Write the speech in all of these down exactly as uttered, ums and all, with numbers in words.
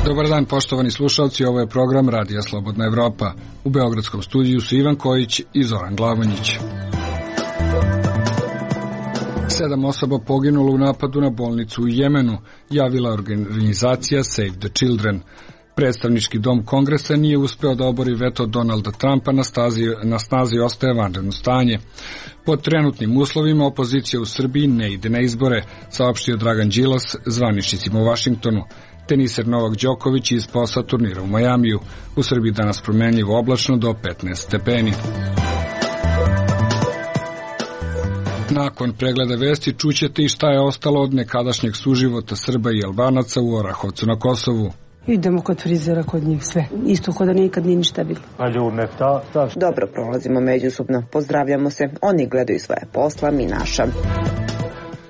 Dobar dan, poštovani slušalci, ovo je program Radija Slobodna Evropa. U beogradskom studiju su Ivan Kojić i Zoran Glavonjić. Sedam osoba poginulo u napadu na bolnicu u Jemenu, javila organizacija Save the Children. Predstavnički dom Kongresa nije uspeo da obori veto Donalda Trumpa, na, stazi, na snazi ostaje vanredno stanje. Pod trenutnim uslovima opozicija u Srbiji ne ide na izbore, saopštio Dragan Đilas zvaničnicima u Vašingtonu. Teniser Novak Đoković iz posla turnira u Majamiju. U Srbiji danas promenljivo oblačno do petnaest stepeni. Nakon pregleda vesti čućete i šta je ostalo od nekadašnjeg suživota Srba i Albanaca u Orahovcu na Kosovu. Idemo kod frizera, kod njih sve. Isto kod da nikad nije ništa bilo. A ljubne, ta, ta. Dobro prolazimo međusobno, pozdravljamo se. Oni gledaju svoje posla, mi naša.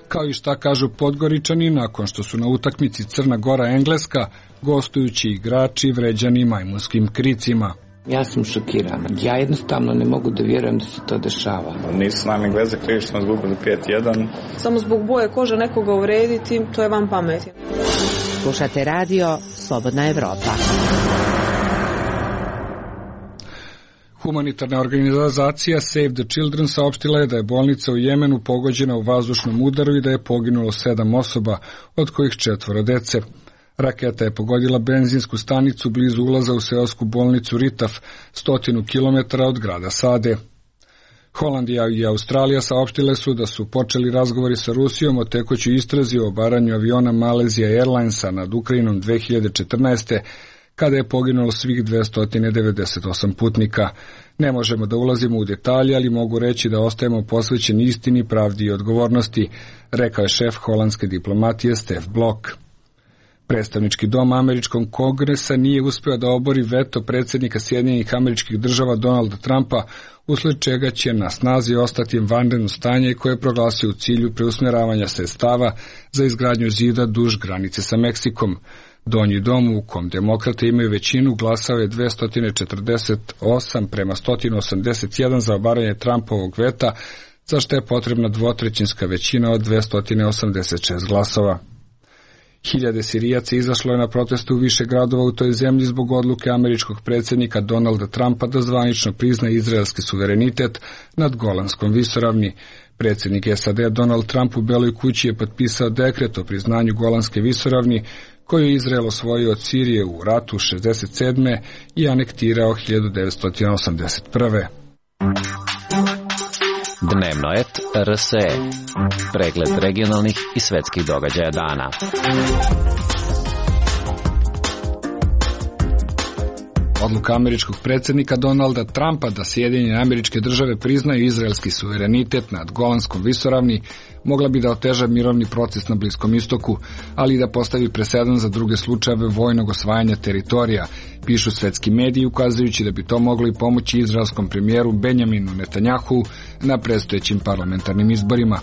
Kao i šta kažu Podgoričani nakon što su na utakmici Crna Gora-Engleska gostujući igrači vređani majmunskim kricima. Ja sam šokirana. Ja jednostavno ne mogu da vjerujem da se to dešava. Nisu nam Engleze krivi što smo izgubili pet jedan. Samo zbog boje kože nekoga uvrediti, to je van pameti. Slušate radio Slobodna Evropa. Humanitarna organizacija Save the Children saopštila je da je bolnica u Jemenu pogođena u vazdušnom udaru i da je poginulo sedam osoba, od kojih četvoro dece. Raketa je pogodila benzinsku stanicu blizu ulaza u seosku bolnicu Ritaf, stotinu kilometara od grada Sade. Holandija i Australija saopštile su da su počeli razgovori sa Rusijom o tekućoj istrazi o obaranju aviona Malaysia Airlinesa nad Ukrajinom dve hiljade četrnaeste. kada je poginulo svih dvesta devedeset osam putnika. Ne možemo da ulazimo u detalje, ali mogu reći da ostajemo posvećeni istini, pravdi i odgovornosti, rekao je šef holandske diplomatije Stef Blok. Predstavnički dom američkog kongresa nije uspeo da obori veto predsjednika Sjedinjenih Američkih Država Donalda Trumpa, usled čega će na snazi ostati vanredno stanje koje je proglasio u cilju preusmjeravanja sredstava za izgradnju zida duž granice sa Meksikom. Donji dom, u kom demokrate imaju većinu, glasao je dvesta četrdeset osam prema sto osamdeset jedan za obaranje Trumpovog veta, za što je potrebna dvotrećinska većina od dvesta osamdeset šest glasova. Hiljade Sirijaca izašlo je na proteste u više gradova u toj zemlji zbog odluke američkog predsjednika Donalda Trumpa da zvanično prizna izraelski suverenitet nad Golanskom visoravni. Predsjednik S A D Donald Trump u Beloj kući je potpisao dekret o priznanju Golanske visoravni, koju je Izrael osvojio od Sirije u ratu šezdeset sedme i anektirao hiljadu devetsto osamdeset prve. Dnevno et R S E. Pregled regionalnih i svetskih događaja dana. Odluka američkog predsjednika Donalda Trumpa da Sjedinjene Američke Države priznaju izraelski suverenitet nad Golanskom visoravni mogla bi da oteža mirovni proces na Bliskom istoku, ali i da postavi presedan za druge slučajeve vojnog osvajanja teritorija, pišu svetski mediji, ukazujući da bi to moglo i pomoći izraelskom premijeru Benjaminu Netanjahu na predstojećim parlamentarnim izborima.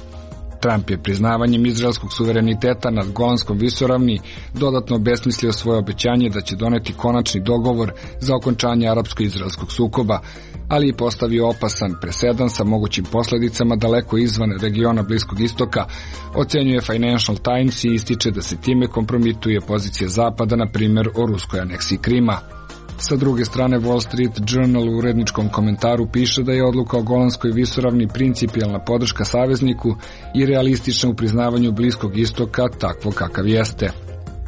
Trump je priznavanjem izraelskog suvereniteta nad Golanskom visoravni dodatno obesmislio svoje obećanje da će doneti konačni dogovor za okončanje arapsko-izraelskog sukoba, ali je postavio opasan presedan sa mogućim posljedicama daleko izvan regiona Bliskog istoka, ocenjuje Financial Times i ističe da se time kompromituje pozicija Zapada, na primjer o ruskoj aneksiji Krima. Sa druge strane, Wall Street Journal u uredničkom komentaru piše da je odluka o Golanskoj visoravni principijelna podrška savezniku i realistična u priznavanju Bliskog istoka takvo kakav jeste.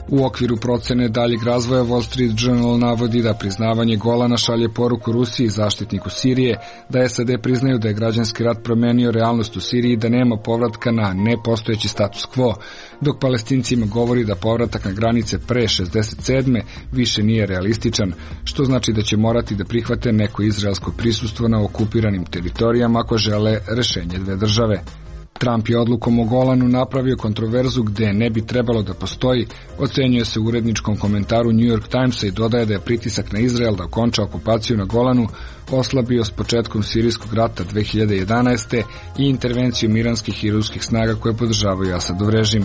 U okviru procene daljeg razvoja Wall Street Journal navodi da priznavanje Golana šalje poruku Rusiji i zaštitniku Sirije, da S A D priznaju da je građanski rat promenio realnost u Siriji i da nema povratka na nepostojeći status quo, dok Palestincima govori da povratak na granice pre šezdeset sedme više nije realističan, što znači da će morati da prihvate neko izraelsko prisustvo na okupiranim teritorijama ako žele rešenje dve države. Trump je odlukom o Golanu napravio kontroverzu gde ne bi trebalo da postoji, ocenjuje se u uredničkom komentaru New York Timesa i dodaje da je pritisak na Izrael da okonča okupaciju na Golanu oslabio s početkom sirijskog rata dve hiljade jedanaeste. i intervencijom iranskih i ruskih snaga koje podržavaju Asadov režim.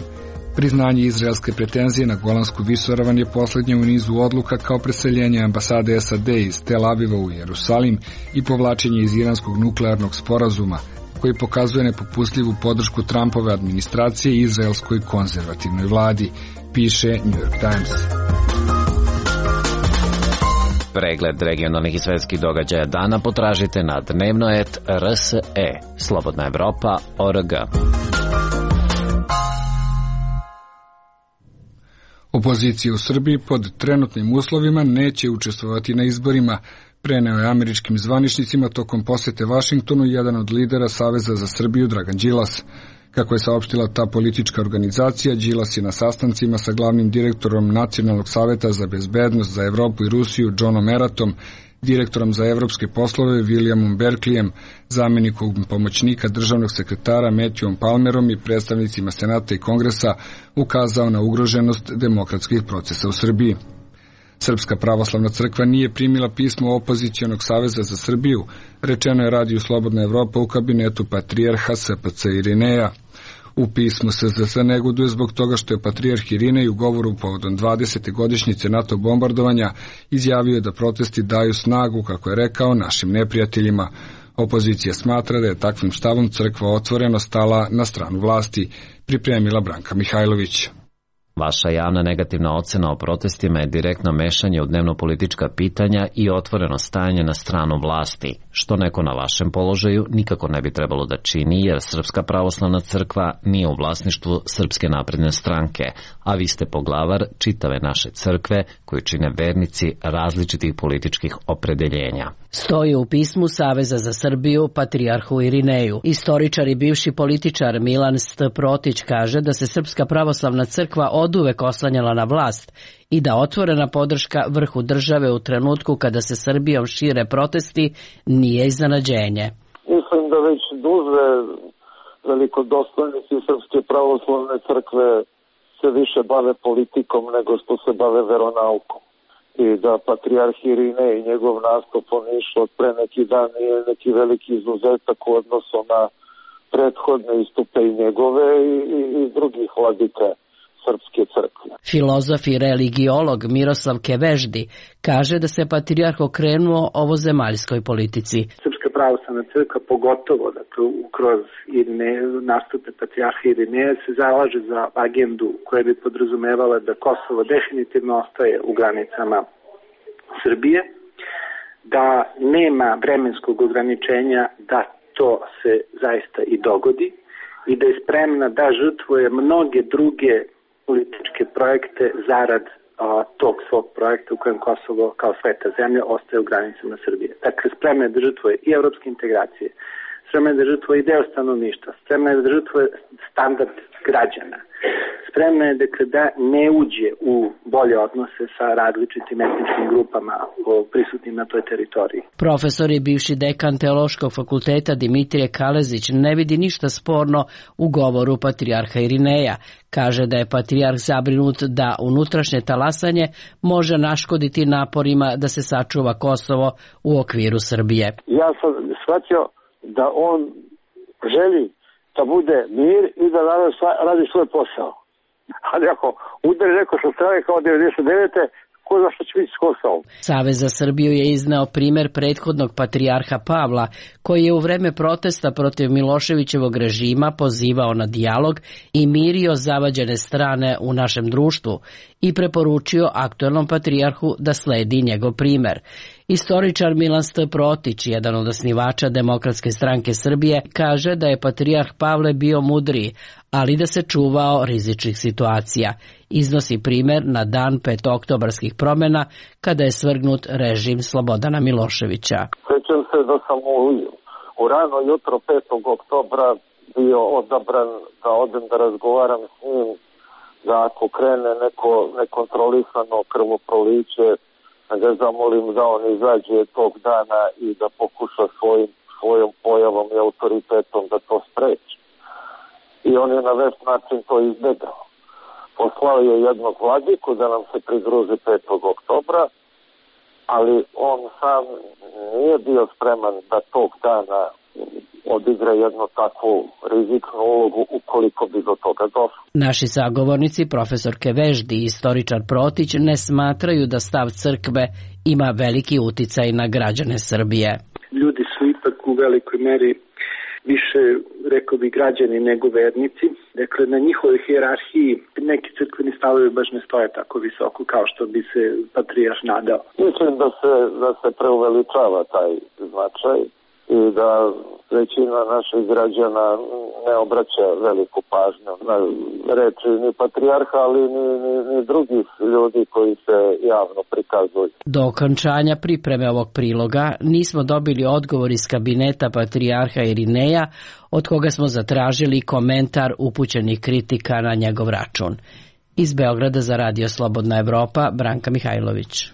Priznanje izraelske pretenzije na Golansku visoravan je posljednje u nizu odluka kao preseljenje ambasade S A D iz Tel Aviva u Jerusalim i povlačenje iz iranskog nuklearnog sporazuma, koji pokazuje nepopustljivu podršku Trumpove administracije i izraelskoj konzervativnoj vladi, piše New York Times. Pregled regionalnih i svetskih događaja dana potražite na dnevno et er es e, Slobodna Evropa o er ge. Opozicija u Srbiji pod trenutnim uslovima neće učestvovati na izborima, preneo je američkim zvaničnicima tokom posete Vašingtonu jedan od lidera Saveza za Srbiju Dragan Đilas. Kako je saopštila ta politička organizacija, Đilas je na sastancima sa glavnim direktorom Nacionalnog saveta za bezbednost za Evropu i Rusiju Johnom Eratom, direktorom za evropske poslove Williamom Berklijem, zamjenikom pomoćnika državnog sekretara Matthewom Palmerom i predstavnicima Senata i Kongresa ukazao na ugroženost demokratskih procesa u Srbiji. Srpska pravoslavna crkva nije primila pismo opozicionog Saveza za Srbiju, rečeno je radiju Slobodna Evropa u kabinetu patrijarha S P C Irineja. U pismu S Z S negoduje zbog toga što je patrijarh Irinej u govoru povodom dvadesete godišnjice NATO bombardovanja izjavio da protesti daju snagu, kako je rekao, našim neprijateljima. Opozicija smatra da je takvim stavom crkva otvoreno stala na stranu vlasti, pripremila Branka Mihajlović. Vaša javna negativna ocena o protestima je direktno mešanje u dnevno-politička pitanja i otvoreno stajanje na stranu vlasti, što neko na vašem položaju nikako ne bi trebalo da čini, jer Srpska pravoslavna crkva nije u vlasništvu Srpske napredne stranke, a vi ste poglavar čitave naše crkve koju čine vernici različitih političkih opredeljenja. Stoji u pismu Saveza za Srbiju patrijarhu Irineju. Istoričar i bivši političar Milan St. Protić kaže da se Srpska pravoslavna crkva oduvek oslanjala na vlast i da otvorena podrška vrhu države u trenutku kada se Srbijom šire protesti nije iznenađenje. Mislim da već duže velikodostojnici Srpske pravoslavne crkve se više bave politikom nego što se bave veronaukom. I da patrijarh Irinej i njegov nastup u Nišu od pre neki dan nije neki veliki izuzetak u odnosu na prethodne istupe i njegove i, i, i drugih vladika Srpske crkve. Filozof i religiolog Miroslav Keveždi kaže da se patrijarh okrenuo ovozemaljskoj politici. Srpska pravoslavna crkva, pogotovo dakle, kroz Irine, nastupe patrijarha Irineja, se zalaže za agendu koja bi podrazumevala da Kosovo definitivno ostaje u granicama Srbije, da nema vremenskog ograničenja da to se zaista i dogodi i da je spremna da žrtvuje mnoge druge političke projekte zarad a, tog svog projekta u kojem Kosovo kao sveta zemlja ostaje u granicama Srbije. Dakle, spremna je da žrtvuje i evropske integracije, spremna je da žrtvuje i deo stanovništva, spremna je da žrtvuje standard građana, spremna je dakle, da ne uđe u bolje odnose sa različitim etničkim grupama prisutnim na toj teritoriji. Profesor i bivši dekan Teološkog fakulteta Dimitrije Kalezić ne vidi ništa sporno u govoru patrijarha Irineja. Kaže da je patrijarh zabrinut da unutrašnje talasanje može naškoditi naporima da se sačuva Kosovo u okviru Srbije. Ja sam shvatio da on želi da bude mir i da radi svoj posao. Ali ako udari neko sa strane kao devedeset devete ko zna što će biti s Kosovom. Savez za Srbiju je izneo primer prethodnog patrijarha Pavla, koji je u vreme protesta protiv Miloševićevog režima pozivao na dijalog i mirio zavađene strane u našem društvu i preporučio aktuelnom patrijarhu da sledi njegov primer. Istoričar Milan St. Protić, jedan od osnivača Demokratske stranke Srbije, kaže da je patrijarh Pavle bio mudriji, ali da se čuvao rizičnih situacija. Iznosi primer na dan petooktobarskih promjena, kada je svrgnut režim Slobodana Miloševića. Sjećam se da sam u, u rano jutro petog oktobra bio odabran da odem da razgovaram s njim, da ako krene neko nekontrolisano krvoproliće, da ga zamolim da on izađe tog dana i da pokuša svojim, svojom pojavom i autoritetom da to spreči. I on je na već način to izbjegao. Poslao je jednog vladiku da nam se pridruži petog oktobra, ali on sam nije bio spreman da tog dana odigra jednu takvu rizičnu ulogu ukoliko bi do toga došlo. Naši sagovornici, profesor Keveždi i istoričar Protić, ne smatraju da stav crkve ima veliki uticaj na građane Srbije. Ljudi su ipak u velikoj meri više, rekao bi, građani nego vernici. Dakle, na njihovoj hijerarhiji neki crkveni stavovi baš ne stoje tako visoko kao što bi se patrijarh nadao. Mislim da se, da se preuveličava taj značaj i da većina naših građana ne obraća veliku pažnju na reči ni patrijarha, ali ni, ni, ni drugih ljudi koji se javno prikazuju. Do okončanja pripreme ovog priloga nismo dobili odgovor iz kabineta patrijarha Irineja, od koga smo zatražili komentar upućenih kritika na njegov račun. Iz Beograda za Radio Slobodna Evropa, Branka Mihajlović.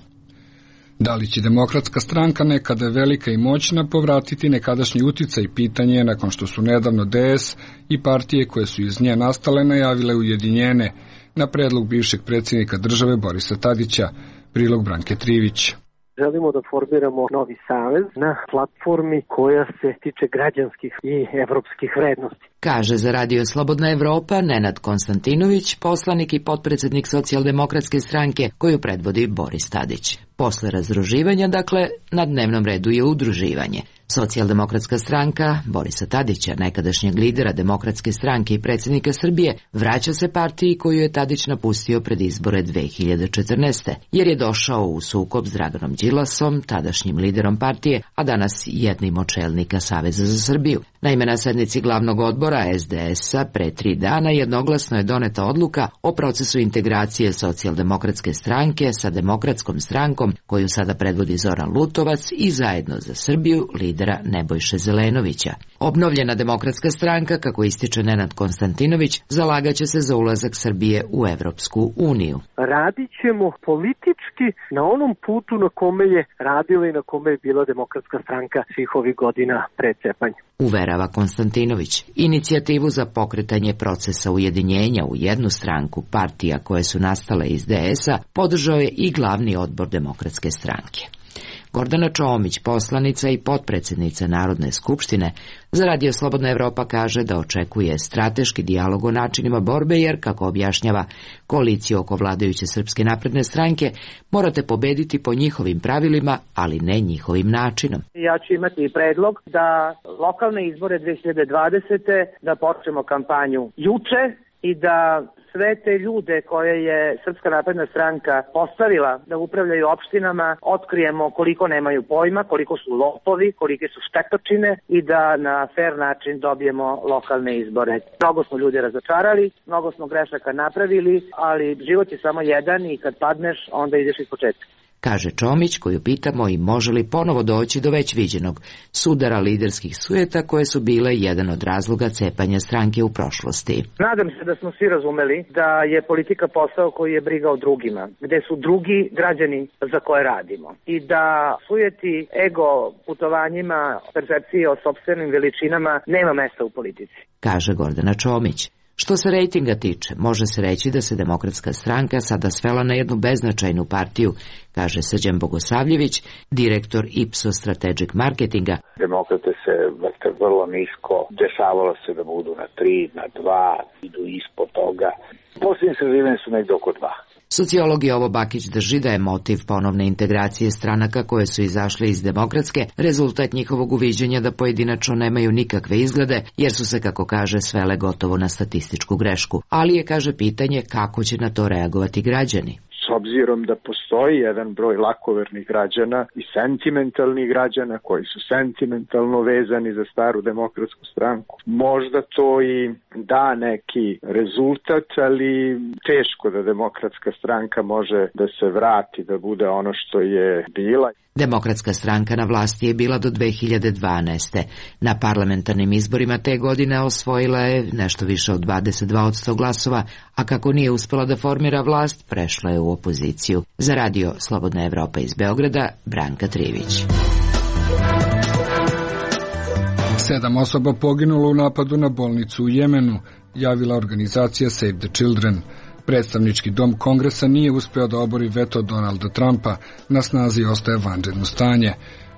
Da li će Demokratska stranka, nekada velika i moćna, povratiti nekadašnji uticaj? Pitanje je nakon što su nedavno D S i partije koje su iz nje nastale najavile ujedinjene na predlog bivšeg predsjednika države Borisa Tadića. Prilog Branke Trivić. Želimo da formiramo novi savez na platformi koja se tiče građanskih i evropskih vrednosti. Kaže za Radio Slobodna Evropa Nenad Konstantinović, poslanik i potpredsjednik Socijaldemokratske stranke koju predvodi Boris Tadić. Posle razdruživanja, dakle, na dnevnom redu je udruživanje. Socijaldemokratska stranka Borisa Tadića, nekadašnjeg lidera Demokratske stranke i predsjednika Srbije, vraća se partiji koju je Tadić napustio pred izbore dve hiljade četrnaeste. jer je došao u sukob s Draganom Đilasom, tadašnjim liderom partije, a danas jednim od čelnika Saveza za Srbiju. Naime, na sednici glavnog odbora S D S-a pre tri dana jednoglasno je doneta odluka o procesu integracije Socijaldemokratske stranke sa Demokratskom strankom, koju sada predvodi Zoran Lutovac, i Zajedno za Srbiju lidera Nebojše Zelenovića. Obnovljena Demokratska stranka, kako ističe Nenad Konstantinović, zalagaće se za ulazak Srbije u Evropsku uniju. Radit ćemo politički na onom putu na kome je radila i na kome je bila Demokratska stranka svih ovih godina pred cepanja. Uverava Konstantinović. Inicijativu za pokretanje procesa ujedinjenja u jednu stranku partija koje su nastale iz D S-a podržao je i glavni odbor Demokratske stranke. Gordana Čomić, poslanica i potpredsjednica Narodne skupštine, za Radio Slobodna Evropa kaže da očekuje strateški dijalog o načinima borbe, jer, kako objašnjava, koaliciju oko vladajuće Srpske napredne stranke morate pobediti po njihovim pravilima, ali ne njihovim načinom. Ja ću imati predlog da lokalne izbore dve hiljade dvadesete da počnemo kampanju juče i da sve te ljude koje je Srpska napredna stranka postavila da upravljaju opštinama otkrijemo koliko nemaju pojma, koliko su lopovi, kolike su štetočine i da na fer način dobijemo lokalne izbore. Mnogo smo ljudi razočarali, mnogo smo grešaka napravili, ali život je samo jedan i kad padneš onda ideš iz početka. Kaže Čomić, koju pitamo i može li ponovo doći do već viđenog sudara liderskih sujeta koje su bile jedan od razloga cepanja stranke u prošlosti. Nadam se da smo svi razumeli da je politika posao koji je briga o drugima, gde su drugi građani za koje radimo i da sujeti ego putovanjima, percepcije o sopstvenim veličinama nema mesta u politici. Kaže Gordana Čomić. Što se rejtinga tiče, može se reći da se Demokratska stranka sada svela na jednu beznačajnu partiju, kaže Srđan Bogosavljević, direktor Ipsos Strategic Marketinga. Demokrate se vrte vrlo nisko, dešavalo se da budu na tri, na dva, idu ispod toga. Posljednje sredine su negdje oko dva. Sociolog Jovo Bakić drži da je motiv ponovne integracije stranaka koje su izašle iz Demokratske rezultat njihovog uviđenja da pojedinačno nemaju nikakve izglede, jer su se, kako kaže, svele gotovo na statističku grešku. Ali je, kaže, pitanje kako će na to reagovati građani. S obzirom da postoji jedan broj lakovernih građana i sentimentalnih građana koji su sentimentalno vezani za staru Demokratsku stranku, možda to i da neki rezultat, ali teško da Demokratska stranka može da se vrati, da bude ono što je bila. Demokratska stranka na vlasti je bila do dve hiljade dvanaeste. Na parlamentarnim izborima te godine osvojila je nešto više od dvadeset dva posto glasova, a kako nije uspela da formira vlast, prešla je u opoziciju. Za Radio Slobodna Evropa iz Beograda, Branka Trivić. Sedam osoba poginulo u napadu na bolnicu u Jemenu, javila organizacija Save the Children. Predstavnički dom Kongresa nije uspeo da obori veto Donalda Trumpa, na snazi ostaje vanredno stanje.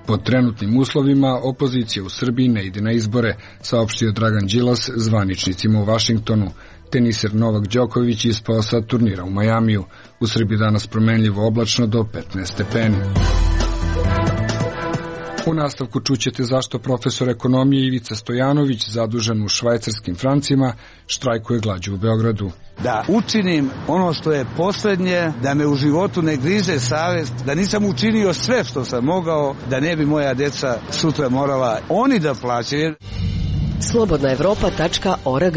Pod trenutnim uslovima opozicija u Srbiji ne ide na izbore, saopštio Dragan Đilas zvaničnicima u Vašingtonu. Teniser Novak Đoković ispao sa turnira u Majamiju. U Srbiji danas promenljivo oblačno do petnaest stepeni. U nastavku čućete zašto profesor ekonomije Ivica Stojanović, zadužen u švajcarskim francima, štrajkuje glađu u Beogradu. Da učinim ono što je poslednje, da me u životu ne grize savest, da nisam učinio sve što sam mogao, da ne bi moja deca sutra morala oni da plaćaju. slobodna evropa tačka org.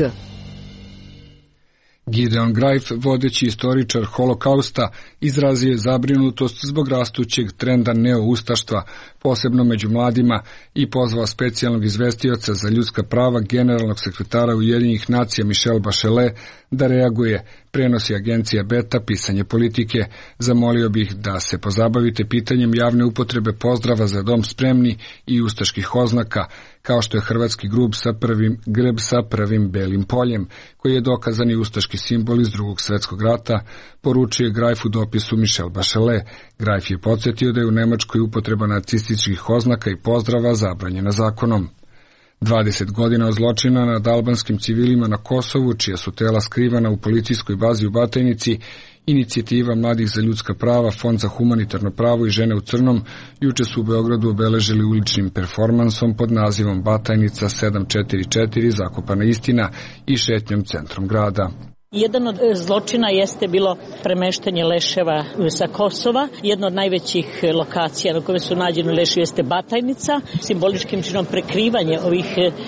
Gideon Greif, vodeći istoričar holokausta, izrazio je zabrinutost zbog rastućeg trenda neoustaštva, posebno među mladima, i pozvao specijalnog izvestioca za ljudska prava generalnog sekretara Ujedinjenih nacija Michelle Bachelet da reaguje, prenosi agencija Beta pisanje politike. Zamolio bih da se pozabavite pitanjem javne upotrebe pozdrava za dom spremni i ustaških oznaka, kao što je hrvatski grub sa prvim, grb sa prvim belim poljem, koji je dokazani ustaški simbol iz drugog svjetskog rata, poručuje Greif u dopisu Michelle Bachelet. Greif je podsjetio da je u Nemačkoj upotreba nacističkih oznaka i pozdrava zabranjena zakonom. dvadeset godina od zločina nad albanskim civilima na Kosovu, čija su tela skrivana u policijskoj bazi u Batajnici, Inicijativa mladih za ljudska prava, Fond za humanitarno pravo i žene u crnom juče su u Beogradu obeležili uličnim performansom pod nazivom Batajnica sedam četiri četiri, zakopana istina, i šetnjom centrom grada. Jedan od zločina jeste bilo premeštanje leševa sa Kosova. Jedna od najvećih lokacija na kojoj su nađeni leševi jeste Batajnica. Simboličkim činom prekrivanje ovih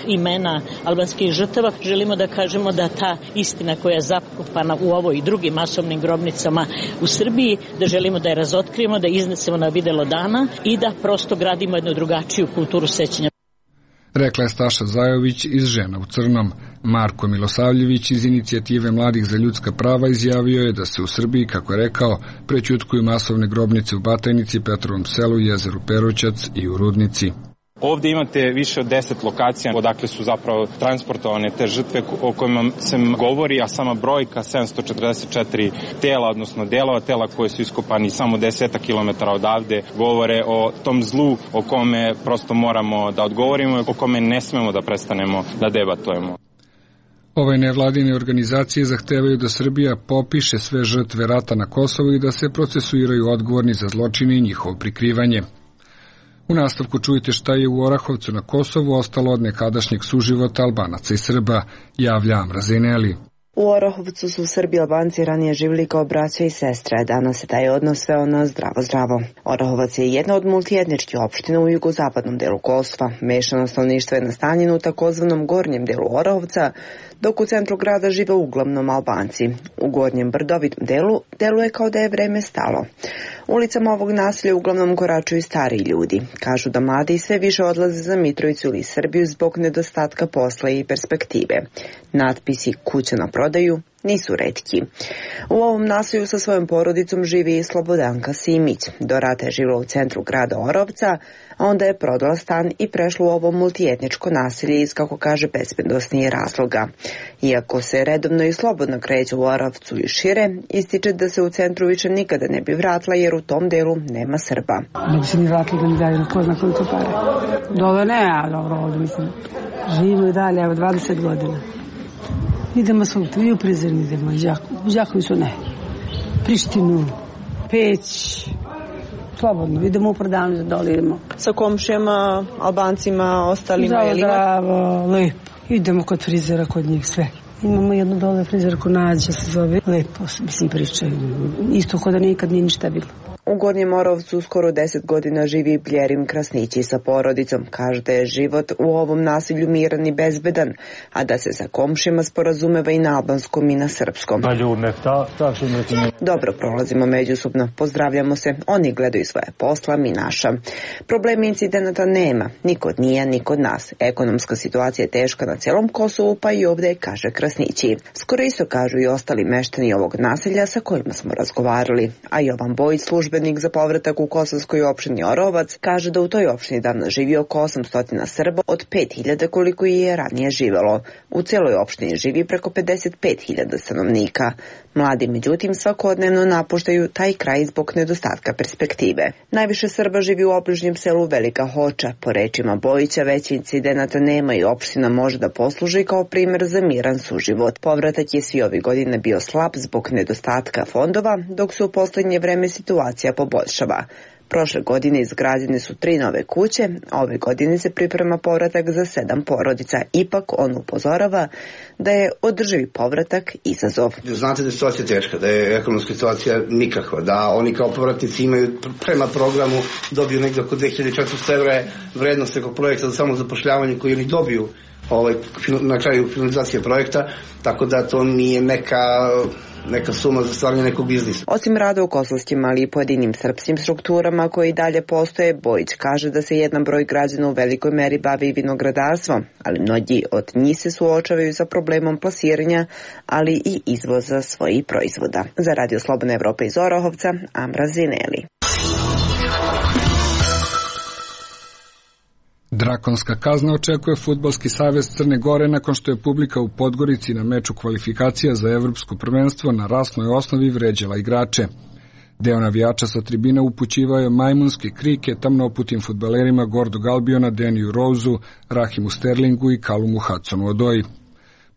imena albanskih žrtava. Želimo da kažemo da ta istina koja je zakopana u ovoj i drugim masovnim grobnicama u Srbiji, da želimo da je razotkrijemo, da je iznesemo na videlo dana i da prosto gradimo jednu drugačiju kulturu sećanja. Rekla je Staša Zajović iz Žena u crnom. Marko Milosavljević iz Inicijative mladih za ljudska prava izjavio je da se u Srbiji, kako je rekao, prećutkuju masovne grobnice u Batajnici, Petrovom selu, jezeru Peroćac i u Rudnici. Ovdje imate više od deset lokacija odakle su zapravo transportovane te žrtve o kojima se govori, a sama brojka sedamsto četrdeset četiri tela, odnosno delova tela koje su iskopani samo desetak kilometara odavde, govore o tom zlu o kome prosto moramo da odgovorimo i o kome ne smemo da prestanemo da debatujemo. Ove nevladine organizacije zahtevaju da Srbija popiše sve žrtve rata na Kosovu i da se procesuiraju odgovorni za zločine i njihovo prikrivanje. U nastavku čujete šta je u Orahovcu na Kosovu ostalo od nekadašnjeg suživota Albanaca i Srba, javlja Amra Zeneli. U Orahovcu su Srbi i Albanci ranije živjeli kao braća i sestre, danas se taj odnos sveo na zdravo zdravo. Orahovac je jedna od multietničkih opština u jugozapadnom delu Kosova. Mešano stanovništvo je nastanjeno u takozvanom gornjem delu Orahovca, dok u centru grada žive uglavnom Albanci. U gornjem brdovitom delu deluje kao da je vreme stalo. Ulicama ovog naselja uglavnom koračuju stariji ljudi. Kažu da mladi sve više odlaze za Mitrovicu ili Srbiju zbog nedostatka posla i perspektive. Natpisi kuća na prodaju nisu retki. U ovom naselju sa svojom porodicom živi i Slobodanka Simić. Do rata je živjela u centru grada Orovca, a onda je prodala stan i prešla u ovo multietničko naselje iz, kako kaže, bezbednosnih razloga. Iako se redovno i slobodno kreće u Orovcu i šire, ističe da se u centru više nikada ne bi vratila jer u tom delu nema Srba. Ne bi se ni vratila da mi daju ko zna koliko pare. Dobro ne, a dobro ovdje mislim. Živimo i dalje, evo dvadeset godina. Idemo svugdje, i u Prizren idemo, u Đakovicu ne. Prištinu, Peć, slobodno, idemo u prodavnicu da dolirimo. Sa komšijama, Albancima, ostalima je li? Zdravo, lepo. Idemo kod frizera, kod njih sve. Imamo jednu dole frizer ko Nađa se zove. Lepo, mislim, pričaju. Isto kod da nikad nije ništa bilo. U Gornjem Orovcu skoro deset godina živi Bljerim Krasnići sa porodicom. Kaže da je život u ovom naselju miran i bezbedan, a da se sa komšima sporazumeva i na albanskom i na srpskom. Dobro prolazimo međusobno, pozdravljamo se, oni gledaju svoje posla, mi naša. Problemi incidenata nema, ni kod nije, ni kod nas. Ekonomska situacija je teška na celom Kosovu, pa i ovdje, kaže Krasnići. Skoro isto kažu i ostali meštani ovog naselja sa kojima smo razgovarali, a Jovan Bojić, službenik za povratak u kosovskoj opštini Orovac, kaže da u toj opštini danas živi oko osamsto Srba od pet hiljada koliko je ranije živelo. U celoj opštini živi preko pedeset pet hiljada stanovnika. Mladi, međutim, svakodnevno napuštaju taj kraj zbog nedostatka perspektive. Najviše Srba živi u obližnjem selu Velika Hoča. Po rečima Bojića, veći incidenata nema i opština može da posluži kao primjer za miran suživot. Povratak je svi ovih godina bio slab zbog nedostatka fondova, dok su u poslednje vreme situacija situacija poboljšava. Prošle godine izgrađene su tri nove kuće, a ove godine se priprema povratak za sedam porodica. Ipak on upozorava da je održivi povratak izazov. Znate da je situacija teška, da je ekonomska situacija nikakva, da oni kao povratnici imaju prema programu, dobiju negdje oko dve hiljade četiristo evra vrednost nekog projekta za samozapošljavanje koji oni dobiju ovaj, na kraju finalizacije projekta, tako da to nije neka... neka suma za stvaranje nekog biznisa. Osim rada u kosovskim, ali i pojedinim srpskim strukturama koji dalje postoje, Bojić kaže da se jedan broj građana u velikoj meri bavi vinogradarstvom, ali mnogi od njih se suočavaju sa problemom plasiranja, ali i izvoza svojih proizvoda. Za Radio Slobodna Evropa iz Orahovca, Amra Zineli. Drakonska kazna očekuje Fudbalski savez Crne Gore nakon što je publika u Podgorici na meču kvalifikacija za evropsko prvenstvo na rasnoj osnovi vređala igrače. Deo navijača sa tribina upućivao je majmunske krike tamnoputim fudbalerima Gordog Albiona, Deniju Rouzu, Rahimu Sterlingu i Kalumu Hudsonu Odoji.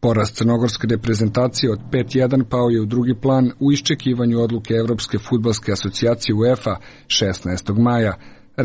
Poraz crnogorske reprezentacije od pet jedan pao je u drugi plan u iščekivanju odluke Evropske fudbalske asocijacije UEFA šesnaestog maja.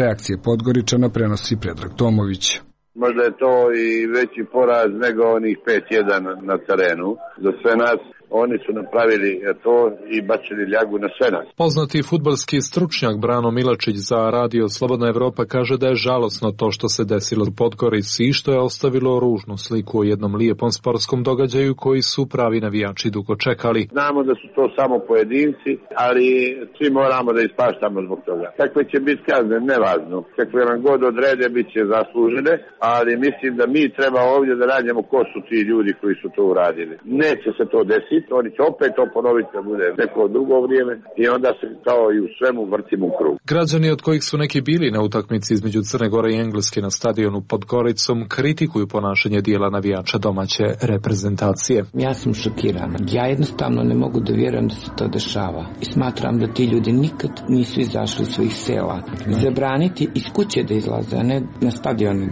Reakcije Podgoričana prenosi Predrag Tomović. Možda je to i veći poraz nego onih pet jedan na terenu. Za sve nas oni su napravili to i bačili ljagu na sve nas. Poznati fudbalski stručnjak Brano Milačić za Radio Slobodna Evropa kaže da je žalosno to što se desilo u Podgorici i što je ostavilo ružnu sliku o jednom lijepom sportskom događaju koji su pravi navijači dugo čekali. Znamo da su to samo pojedinci, ali svi moramo da ispaštamo zbog toga. Kakve će biti kazne, nevažno. Kakve nam god odrede, bit će zaslužene, ali mislim da mi treba ovdje da radimo ko su ti ljudi koji su to uradili. Neće se to desiti. Oni će opet to ponoviti da bude neko drugo vrijeme i onda se kao i u svemu vrtimo u krug. Građani od kojih su neki bili na utakmici između Crne Gore i Engleske na stadionu pod Goricom kritikuju ponašanje dijela navijača domaće reprezentacije. Ja sam šokiran. Ja jednostavno ne mogu da vjerujem da se to dešava. I smatram da ti ljudi nikad nisu izašli iz svojih sela. Zabraniti iz kuće da izlaze, a ne na stadionu.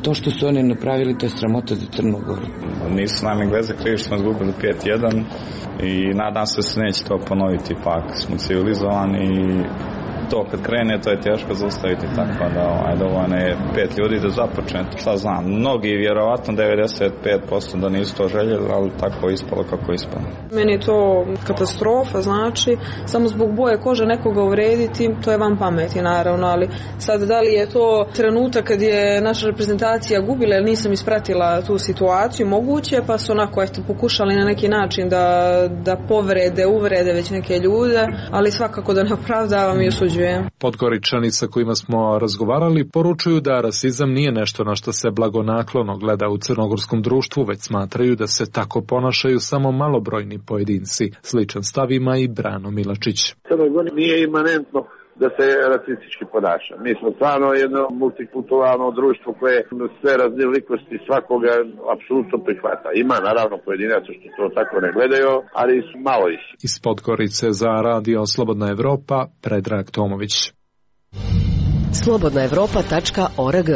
To što su oni napravili, to je sramota za Crnu Goru. Nisu nam Engleze krivi što smo izgubili pet jedan. I nadam se da se neće to ponoviti, ipak smo civilizovani i to kad krene to je teško zaustaviti, tako da ovaj, dovoljno je pet ljudi da započne, šta znam, mnogi vjerovatno devedeset pet posto da nisu to željeli, ali tako je ispalo kako je ispalo. Meni je to katastrofa, znači samo zbog boje kože nekoga uvrediti, to je van pameti naravno, ali sad da li je to trenutak kad je naša reprezentacija gubila ili nisam ispratila tu situaciju, moguće, pa su onako eto pokušali na neki način da, da povrede, uvrede već neke ljude, ali svakako da ne opravdavam i osuđujem. Podgoričani sa kojima smo razgovarali poručuju da rasizam nije nešto na što se blagonaklono gleda u crnogorskom društvu, već smatraju da se tako ponašaju samo malobrojni pojedinci. Sličan stav ima i Brano Milačić. Crnoj Gori nije imanentno da se rasistički ponaša. Mi smo stvarno jedno multikulturalno društvo koje sve raznolikosti svakoga apsolutno prihvata. Ima naravno pojedinaca što to tako ne gledaju, ali su malo ih. Iz Podgorice za Radio Slobodna Evropa, Predrag Tomović. slobodna evropa tačka org.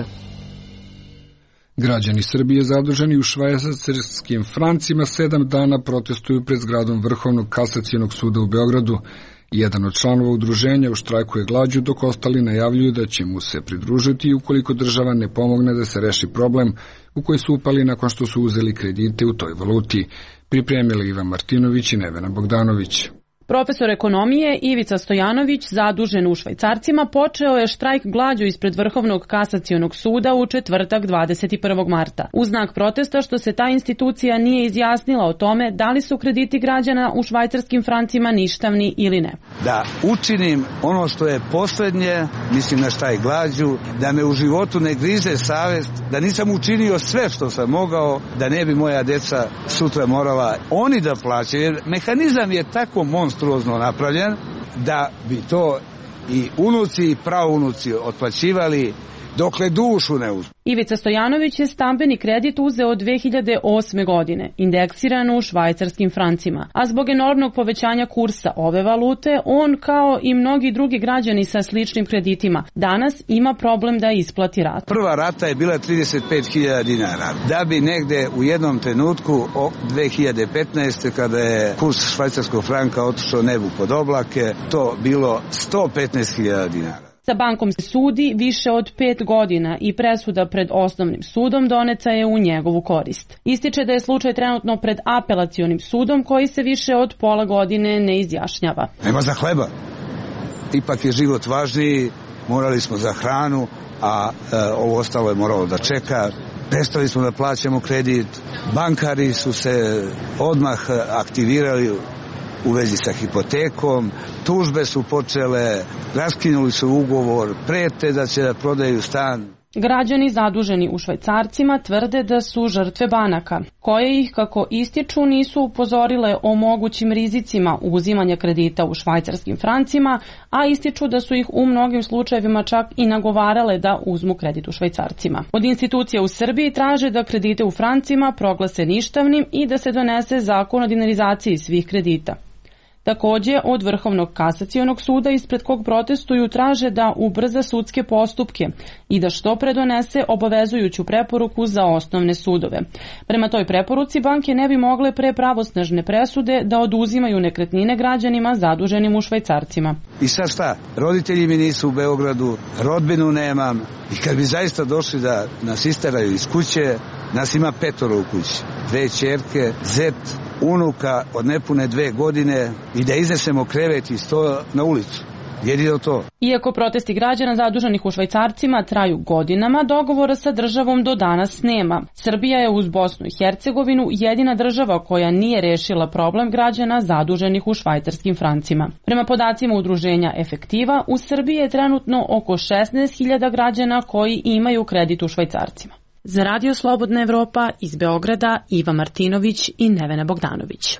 Građani Srbije zaduženi u švajcarskim francima sedam dana protestuju pred zgradom Vrhovnog kasacionog suda u Beogradu. Jedan od članova udruženja u štrajku je glađu, dok ostali najavljuju da će mu se pridružiti ukoliko država ne pomogne da se reši problem u koji su upali nakon što su uzeli kredite u toj valuti. Pripremili Ivan Martinović i Nevena Bogdanović. Profesor ekonomije Ivica Stojanović, zadužen u Švajcarcima, počeo je štrajk glađu ispred Vrhovnog kasacionog suda u četvrtak dvadeset prvog marta. U znak protesta što se ta institucija nije izjasnila o tome da li su krediti građana u švajcarskim francima ništavni ili ne. Da učinim ono što je posljednje, mislim na štrajk glađu, da me u životu ne grize savest, da nisam učinio sve što sam mogao, da ne bi moja deca sutra morala oni da plaćaju, jer mehanizam je tako monstruozno napravljen da bi to i unuci i praunuci otplaćivali dokle dušu ne uzmu. Ivica Stojanović je stambeni kredit uzeo dve hiljade osme godine, indeksiran u švajcarskim francima, a zbog enormnog povećanja kursa ove valute, on kao i mnogi drugi građani sa sličnim kreditima danas ima problem da isplati ratu. Prva rata je bila trideset pet hiljada dinara, da bi negde u jednom trenutku dve hiljade petnaeste. kada je kurs švajcarskog franka otišao nebu pod oblake, to bilo sto petnaest hiljada dinara. Sa bankom se sudi više od pet godina i presuda pred osnovnim sudom doneta je u njegovu korist. Ističe da je slučaj trenutno pred apelacionim sudom koji se više od pola godine ne izjašnjava. Nema za hleba. Ipak je život važniji, morali smo za hranu, a e, ovo ostalo je moralo da čeka. Prestali smo da plaćamo kredit, bankari su se odmah aktivirali u vezi sa hipotekom, tužbe su počele, raskinuli su ugovor, prete da će da prodaju stan. Građani zaduženi u švajcarcima tvrde da su žrtve banaka, koje ih, kako ističu, nisu upozorile o mogućim rizicima uzimanja kredita u švajcarskim francima, a ističu da su ih u mnogim slučajevima čak i nagovarale da uzmu kredit u švajcarcima. Od institucija u Srbiji traže da kredite u francima proglase ništavnim i da se donese zakon o dinarizaciji svih kredita. Takođe, od Vrhovnog kasacionog suda ispred kog protestuju traže da ubrza sudske postupke i da što pre donese obavezujuću preporuku za osnovne sudove. Prema toj preporuci banke ne bi mogle pre pravosnažne presude da oduzimaju nekretnine građanima zaduženim u švajcarcima. I sad šta? Roditelji mi nisu u Beogradu, rodbinu nemam i kad bi zaista došli da nas isteraju iz kuće, nas ima petoro u kući. Dve ćerke, zet, unuka od nepune dve godine i da iznesemo krevet i sto na ulicu. Jedino to. Iako protesti građana zaduženih u švajcarcima traju godinama, dogovora sa državom do danas nema. Srbija je uz Bosnu i Hercegovinu jedina država koja nije rešila problem građana zaduženih u švajcarskim francima. Prema podacima udruženja Efektiva, u Srbiji je trenutno oko šesnaest hiljada građana koji imaju kredit u švajcarcima. Za Radio Slobodna Evropa iz Beograda Iva Martinović i Nevena Bogdanović.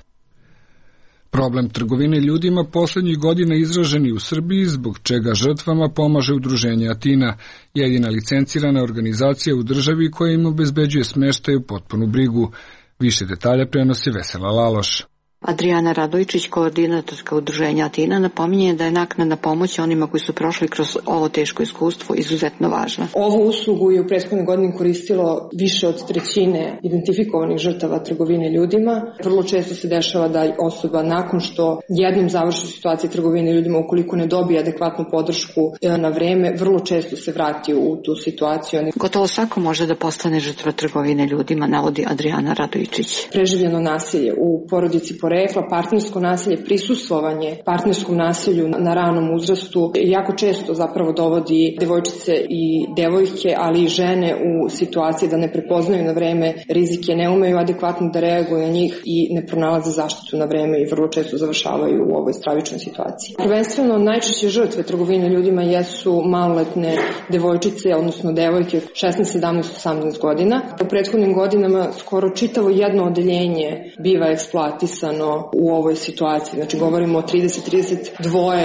Problem trgovine ljudima poslednjih godina izražen u Srbiji, zbog čega žrtvama pomaže udruženje Atina, jedina licencirana organizacija u državi koja im obezbeđuje smeštaj u potpunu brigu. Više detalja prenosi Vesela Laloš. Adriana Radojčić, koordinatorka udruženja Atina, napominje da je naknadna pomoć onima koji su prošli kroz ovo teško iskustvo izuzetno važna. Ovu uslugu je u prethodnoj godini koristilo više od trećine identifikovanih žrtava trgovine ljudima. Vrlo često se dešava da osoba nakon što jednom završi situacija trgovine ljudima, ukoliko ne dobije adekvatnu podršku na vreme, vrlo često se vrati u tu situaciju. Gotovo svako može da postane žrtva trgovine ljudima, navodi Adriana Radojčić. Preživljeno nasilje u porodici rekla, partnersko nasilje, prisustvovanje partnerskom nasilju na ranom uzrastu jako često zapravo dovodi devojčice i devojke, ali i žene u situaciji da ne prepoznaju na vreme rizike, ne umeju adekvatno da reaguju na njih i ne pronalaze zaštitu na vreme i vrlo često završavaju u ovoj stravičnoj situaciji. Prvenstveno najčešće žrtve trgovine ljudima jesu maloletne devojčice, odnosno devojke šesnaest, sedamnaest, osamnaest godina. U prethodnim godinama skoro čitavo jedno odeljenje biva eksploatisano u ovoj situaciji. Znači govorimo o trideset do trideset dva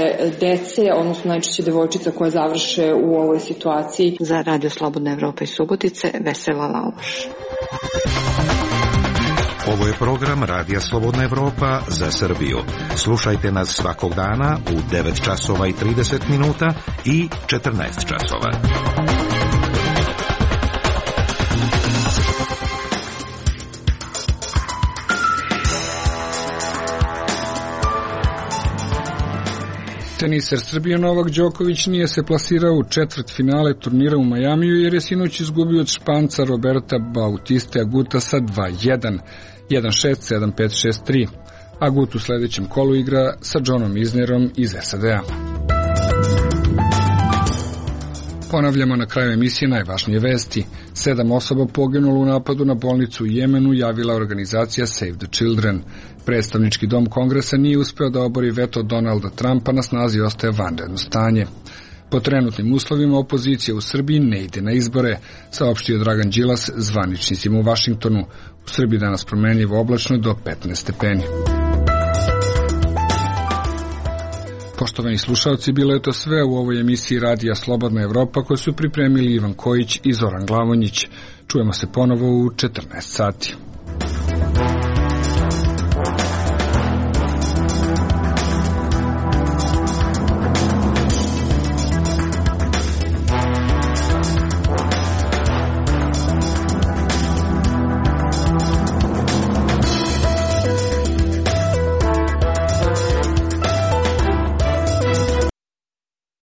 dece, odnosno najčešće devojčica koje završe u ovoj situaciji. Za Radio Slobodna Evropa iz Subotice, Vesela Laloš. Ovo je program Radija Slobodna Evropa za Srbiju. Slušajte nas svakog dana u devet časova i trideset minuta i četrnaest časova. Teniser Srbije Novak Đoković nije se plasirao u četvrt finale turnira u Majamiju jer je sinoć izgubio od Španca Roberta Bautiste Aguta sa dva jedan, jedan šest, sedam pet, šest tri. Agut u sledećem kolu igra sa Johnom Isnerom iz S A D-a. Ponavljamo na kraju emisije najvažnije vesti. Sedam osoba poginulo u napadu na bolnicu u Jemenu, javila organizacija Save the Children. Predstavnički dom Kongresa nije uspeo da obori veto Donalda Trumpa, na snazi ostaje vanredno stanje. Po trenutnim uslovima opozicija u Srbiji ne ide na izbore, saopštio Dragan Đilas zvaničnicima u Vašingtonu. U Srbiji danas promenljivo oblačno do petnaest stepeni. Poštovani slušalci, bilo je to sve u ovoj emisiji Radija Slobodna Evropa koju su pripremili Ivan Kojić i Zoran Glavonjić. Čujemo se ponovo u četrnaest sati.